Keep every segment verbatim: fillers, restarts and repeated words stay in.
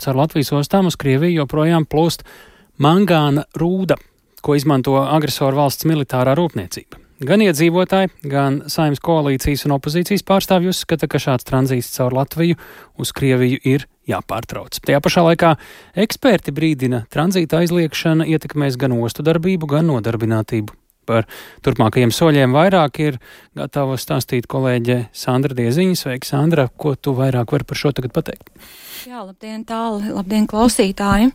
Caur Latvijas ostām uz Krieviju joprojām plūst mangāna rūda, ko izmanto agresoru valsts militārā rūpniecība. Gan iedzīvotāji, gan Saeimas koalīcijas un opozīcijas pārstāvji uzskata, ka šāds tranzīts caur Latviju uz Krieviju ir jāpārtrauc. Tajā pašā laikā eksperti brīdina, tranzīta aizliekšana ietekmēs gan ostu darbību, gan nodarbinātību. Par turpmākajiem soļiem vairāk ir gatava stāstīt kolēģe Sandra Dieziņa. Sveiki, Sandra, ko tu vairāk vari par šo tagad pateikt? Jā, labdien tāli, labdien klausītāji.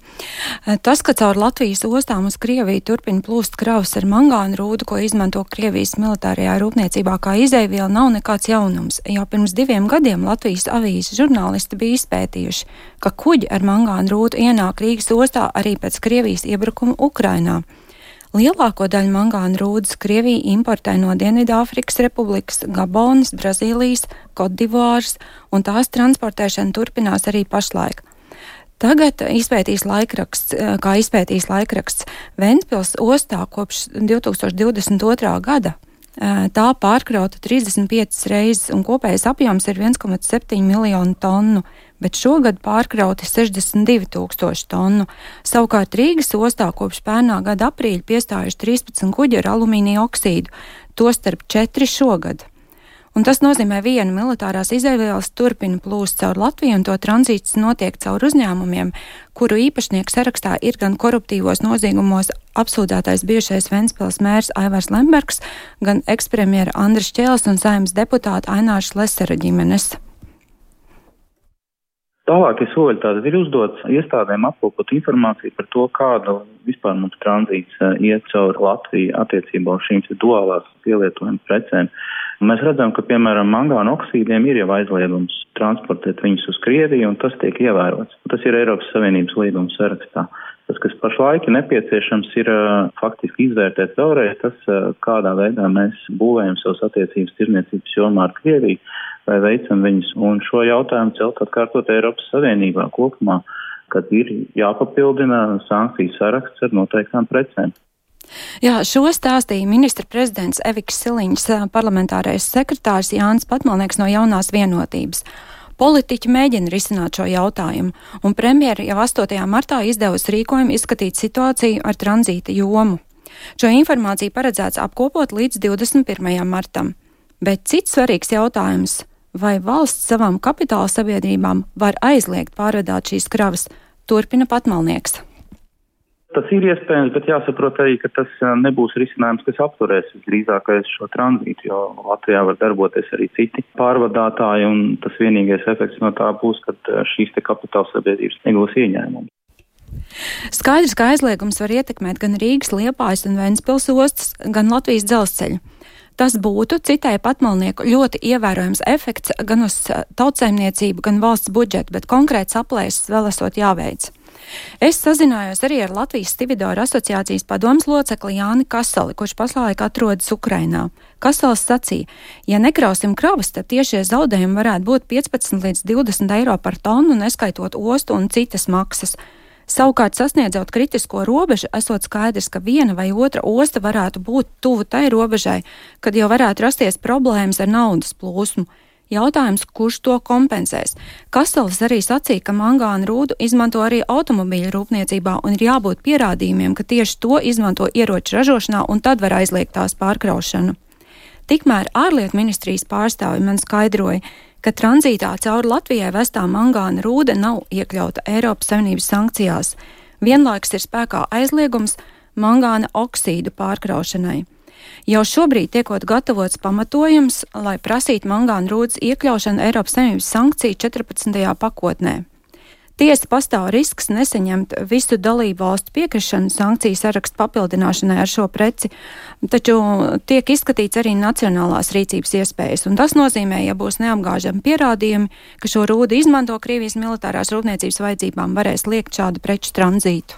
Tas, ka caur Latvijas ostām uz Krieviju turpina plūst kravas ar mangānu rūdu, ko izmanto Krievijas militārajā rūpniecībā kā izejviela, nav nekāds jaunums. Jau pirms diviem gadiem Latvijas avīzes žurnālisti bija izpētījuši, ka kuģi ar mangānu rūdu ienāk Rīgas ostā arī pēc Krievijas iebrukuma Ukrainā. Lielāko daļu mangāna rūdas Krievija importē no Dienvidāfrikas Republikas, Gabonas, Brazīlijas, Kotdivāras, un tās transportēšana turpinās arī pašlaik. Tagad izpētīs laikraksts, kā izpētīs laikraksts Ventspils ostā kopš divi tūkstoši divdesmit otrā gada. Tā pārkrauta trīsdesmit piecas reizes un kopējais apjoms ir viens komats septiņi miljonu tonu, bet šogad pārkrauti sešdesmit divi tūkstoši tonu. Savukārt Rīgas ostā kopš pērnā gada aprīļa piestājuši trīspadsmit kuģi ar alumīnija oksīdu, tostarp četri šogad. Un tas nozīmē, viena militārās izejvielas turpina plūst caur Latviju, un to tranzīts notiek caur uzņēmumiem, kuru īpašnieku sarakstā ir gan koruptīvos noziegumos apsūdzētais bijušais Ventspils mērs Aivars Lembergs, gan ekspremjera Andris Čēlis un Saeimas deputāta Aināša Lesera ģimenes. Tālākie soļi tātad ir uzdots iestādēm apkopot informāciju par to, kādu vispār mums tranzīts iet caur Latviju attiecībā uz šīm duālās pielietojuma precēm. Mēs redzam, ka, piemēram, mangāna oksīdiem ir jau aizliegums transportēt viņus uz Krieviju, un tas tiek ievērots. Tas ir Eiropas Savienības līguma sarakstā. Tas, kas pašlaik ir nepieciešams, ir uh, faktiski izvērtēt vēlreiz tas, uh, kādā veidā mēs būvējam savas attiecības tirniecības jomā ar Krieviju, vai veicam viņus, un šo jautājumu celt atkārtot Eiropas Savienībā kopumā, kad ir jāpapildina sankciju saraksts ar noteiktām precēm. Jā, šo stāstīja ministra prezidents Eviks Siliņš, parlamentārais sekretārs Jānis Patmalnieks no Jaunās vienotības. Politiķi mēģina risināt šo jautājumu, un premjera jau astotajā martā izdevusi rīkojumu izskatīt situāciju ar tranzīta jomu. Šo informāciju paredzēts apkopot līdz divdesmit pirmajam martam. Bet cits svarīgs jautājums, vai valsts savām kapitāla sabiedrībām var aizliegt pārvadāt šīs kravas, turpina Patmalnieks. Tas ir iespējams, bet jāsaprot arī, ka tas nebūs risinājums, kas apturēs visdrīzākais šo tranzītu, jo Latvijā var darboties arī citi pārvadātāji, un tas vienīgais efekts no tā būs, ka šīs te kapitāla sabiedrības negūs ieņēmumu. Skaidrs, ka aizliegums var ietekmēt gan Rīgas, Liepājas un Ventspils ostas, gan Latvijas dzelzceļu. Tas būtu, citai Patmalnieku, ļoti ievērojams efekts gan uz tautsaimniecību, gan valsts budžetu, bet konkrēts aplēses vēl esot jāveic. Es sazinājos arī ar Latvijas Stividoru asociācijas padomes locekli Jāni Kasali, kurš pašlaik atrodas Ukrainā. Kasals sacīja, ja nekrausim kravas, tad tiešie zaudējumi varētu būt piecpadsmit līdz divdesmit eiro par tonu, neskaitot ostu un citas maksas. Savukārt, sasniedzot kritisko robežu, esot skaidrs, ka viena vai otra osta varētu būt tuvu tai robežai, kad jau varētu rasties problēmas ar naudas plūsmu. Jautājums, kurš to kompensēs? Kasals arī sacīja, ka mangāna rūdu izmanto arī automobīļu rūpniecībā un ir jābūt pierādījumiem, ka tieši to izmanto ieroču ražošanā un tad var aizliegt tās pārkraušanu. Tikmēr ārlietu ministrijas pārstāvi man skaidroja, ka tranzītā cauri Latvijai vestā mangāna rūda nav iekļauta Eiropas Savienības sankcijās. Vienlaikus ir spēkā aizliegums mangāna oksīdu pārkraušanai. Jau šobrīd tiekot gatavots pamatojums, lai prasītu mangāna rūdas iekļaušanu Eiropas Savienības sankciju četrpadsmitajā pakotnē. Tiesa pastāv risks nesaņemt visu dalību valstu piekrišanu sankciju sarakstu papildināšanai ar šo preci, taču tiek izskatīts arī nacionālās rīcības iespējas, un tas nozīmē, ja būs neapgāžami pierādījumi, ka šo rūdu izmanto Krievijas militārās rūpniecības vajadzībām, varēs liekt šādu preču tranzītu.